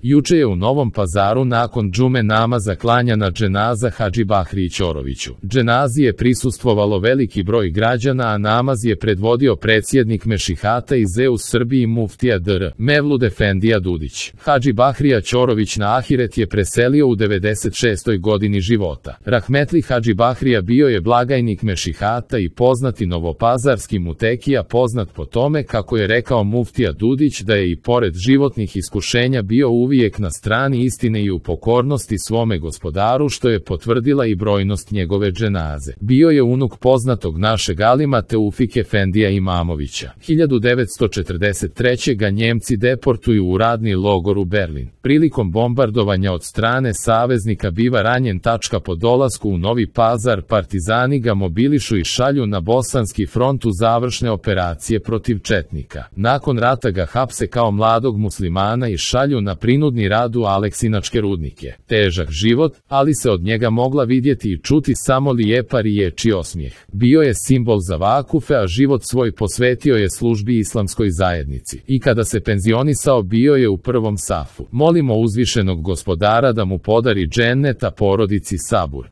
Juče je u Novom Pazaru nakon džume namaza klanjana dženaza Hadži Bahriji Ćoroviću. Dženazi je prisustvovalo veliki broj građana, a namaz je predvodio predsjednik Mešihata iz EU Srbiji muftija dr. Mevlud Efendija Dudić. Hadži Bahrija Ćorović na ahiret je preselio u 96. godini života. Rahmetli Hadži Bahrija bio je blagajnik Mešihata i poznati novopazarski mutekija, poznat po tome, kako je rekao muftija Dudić, da je i pored životnih iskušenja bio uvijek na strani istine i u pokornosti svome gospodaru, što je potvrdila i brojnost njegove dženaze. Bio je unuk poznatog našeg alima Teufik Efendija Imamovića. 1943. ga Njemci deportuju u radni logor u Berlin. Prilikom bombardovanja od strane saveznika biva ranjen. Po dolasku u Novi Pazar partizani ga mobilišu i šalju na bosanski front u završne operacije protiv četnika. Nakon rata ga hapse kao mladog muslimana i šalju na prinudni rad u Aleksinačke rudnike. Težak život, ali se od njega mogla vidjeti i čuti samo lijepa riječ i osmijeh. Bio je simbol za vakufe, a život svoj posvetio je službi islamskoj zajednici. I kada se penzionisao, bio je u prvom safu. Molimo uzvišenog gospodara da mu podari džennet, a porodici sabur.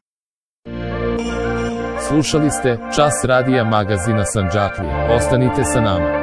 Slušali ste Čas radija magazina Sandžaklija. Ostanite sa nama.